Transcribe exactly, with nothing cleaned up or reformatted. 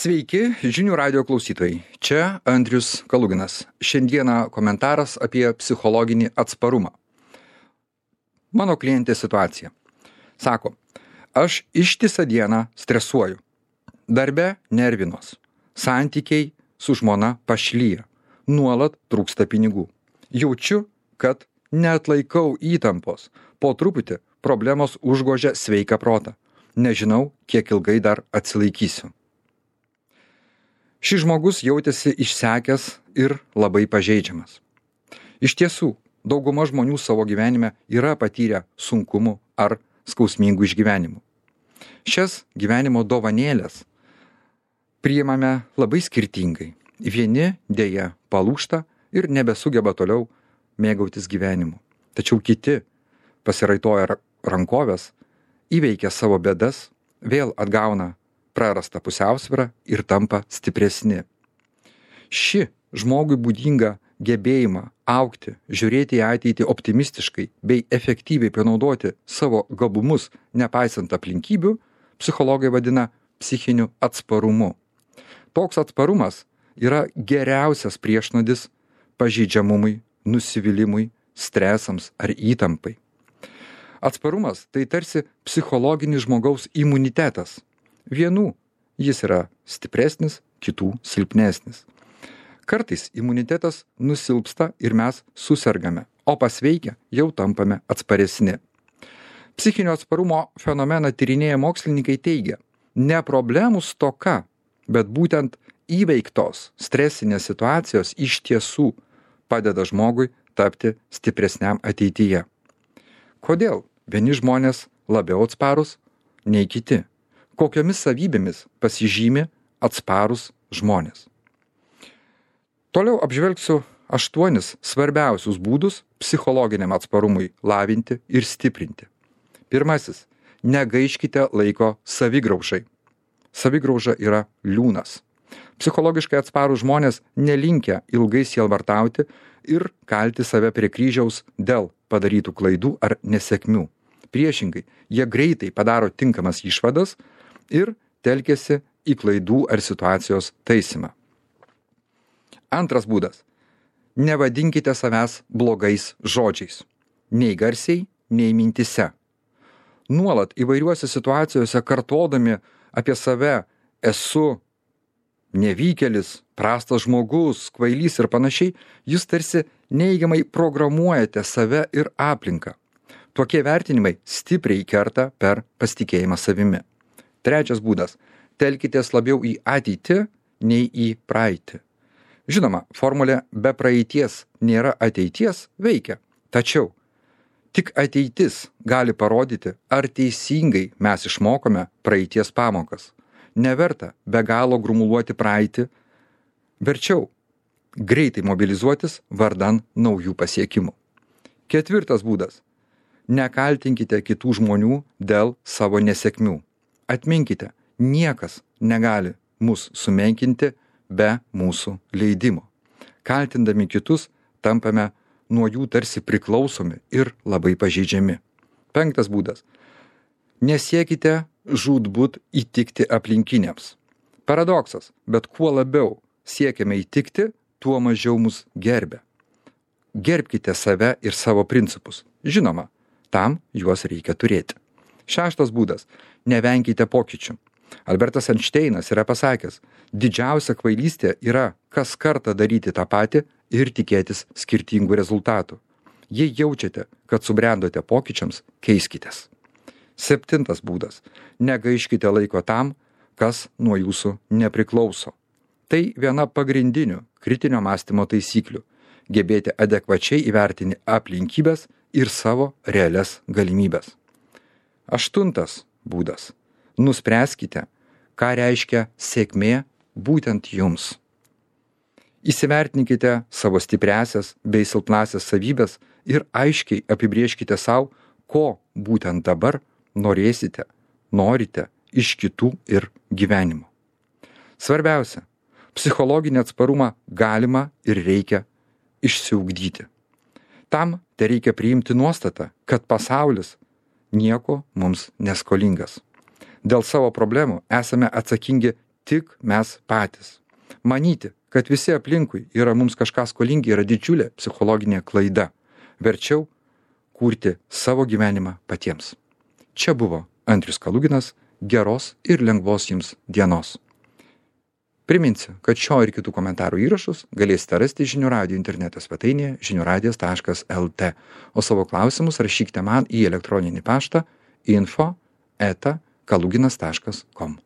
Sveiki, žinių radio klausytojai. Čia Andrius Kaluginas. Šiandieną komentaras apie psichologinį atsparumą. Mano klientė situacija. Sako, aš ištisą dieną stresuoju. Darbe nervinos. Santykiai su žmona pašlyja. Nuolat trūksta pinigų. Jaučiu, kad neatlaikau įtampos. Po truputį problemos užgožia sveiką protą. Nežinau, kiek ilgai dar atsilaikysiu. Šis žmogus jautėsi išsekęs ir labai pažeidžiamas. Iš tiesų, dauguma žmonių savo gyvenime yra patyrę sunkumų ar skausmingų išgyvenimų. Šias gyvenimo dovanėlės priimame labai skirtingai. Vieni dėja palūžta ir nebesugeba toliau mėgautis gyvenimu. Tačiau kiti pasiraitoja rankovės, įveikia savo bėdas, vėl atgauna prarasta pusiausvyrą ir tampa stipresni. Ši žmogui būdinga gebėjimą augti, žiūrėti į ateitį optimistiškai bei efektyviai panaudoti savo gabumus, nepaisant aplinkybių, psichologai vadina psichiniu atsparumu. Toks atsparumas yra geriausias priešnuodis pažeidžiamumui, nusivylimui, stresams ar įtampai. Atsparumas tai tarsi psichologinis žmogaus imunitetas. Vienų jis yra stipresnis, kitų silpnesnis. Kartais imunitetas nusilpsta ir mes susergame, o pasveikę jau tampame atsparesni. Psichinio atsparumo fenomeną tyrinėję mokslininkai teigia, ne problemų stoka, bet būtent įveiktos stresinės situacijos iš tiesų padeda žmogui tapti stipresniam ateityje. Kodėl vieni žmonės labiau atsparūs nei kiti? Kokiomis savybėmis pasižymi atsparūs žmonės. Toliau apžvelgsiu aštuonis svarbiausius būdus psichologiniam atsparumui lavinti ir stiprinti. Pirmasis. Negaiškite laiko savigraužai. Savigrauža yra liūnas. Psichologiškai atsparūs žmonės nelinkę ilgai sielvartauti ir kalti save prie kryžiaus dėl padarytų klaidų ar nesėkmių. Priešingai, jie greitai padaro tinkamas išvadas ir telkiasi į klaidų ar situacijos taisymą. Antras būdas. Nevadinkite savęs blogais žodžiais. Nei garsiai, nei mintise. Nuolat įvairiuose situacijose kartodami apie save esu nevykėlis, prastas žmogus, kvailys ir panašiai, jūs tarsi neigiamai programuojate save ir aplinką. Tokie vertinimai stipriai kerta per pasitikėjimą savimi. Trečias būdas. Telkitės labiau į ateitį, nei į praeitį. Žinoma, formulė be praeities nėra ateities veikia. Tačiau tik ateitis gali parodyti, ar teisingai mes išmokome praeities pamokas. Neverta be galo grumuluoti praeitį. Verčiau greitai mobilizuotis vardan naujų pasiekimų. Ketvirtas būdas. Nekaltinkite kitų žmonių dėl savo nesėkmių. Atminkite, niekas negali mus sumenkinti be mūsų leidimo. Kaltindami kitus, tampame nuo jų tarsi priklausomi ir labai pažeidžiami. Penktas būdas. Nesiekite žūtbūt įtikti aplinkiniams. Paradoksas, bet kuo labiau siekiame įtikti, tuo mažiau mus gerbia. Gerbkite save ir savo principus. Žinoma, tam juos reikia turėti. Šeštas būdas. Nevenkite pokyčių. Albertas Einšteinas yra pasakęs, didžiausia kvailystė yra kas kartą daryti tą patį ir tikėtis skirtingų rezultatų. Jei jaučiate, kad subrendote pokyčiams, keiskitės. Septintas būdas. Negaiškite laiko tam, kas nuo jūsų nepriklauso. Tai viena pagrindinių kritinio mąstymo taisyklių. Gebėti adekvačiai įvertinti aplinkybės ir savo realias galimybės. Aštuntas būdas. Nuspręskite, ką reiškia sėkmė būtent jums. Įsivertinkite savo stipriąsias bei silpnąsias savybės ir aiškiai apibrėžkite savo, ko būtent dabar norėsite, norite iš kitų ir gyvenimo. Svarbiausia, psichologinį atsparumą galima ir reikia išsiugdyti. Tam tereikia priimti nuostatą, kad pasaulis nieko mums neskolingas. Dėl savo problemų esame atsakingi tik mes patys. Manyti, kad visi aplinkui yra mums kažką skolingi, yra didžiulė psichologinė klaida. Verčiau kurti savo gyvenimą patiems. Čia buvo Andrius Kaluginas. Geros ir lengvos jums dienos. Priminsiu, kad šio ir kitų komentarų įrašus galėsite rasti Žinių radijo interneto svetainėje žinių radijas taškas el tė, o savo klausimus rašykite man į elektroninį paštą info eta kaluginas taškas kom.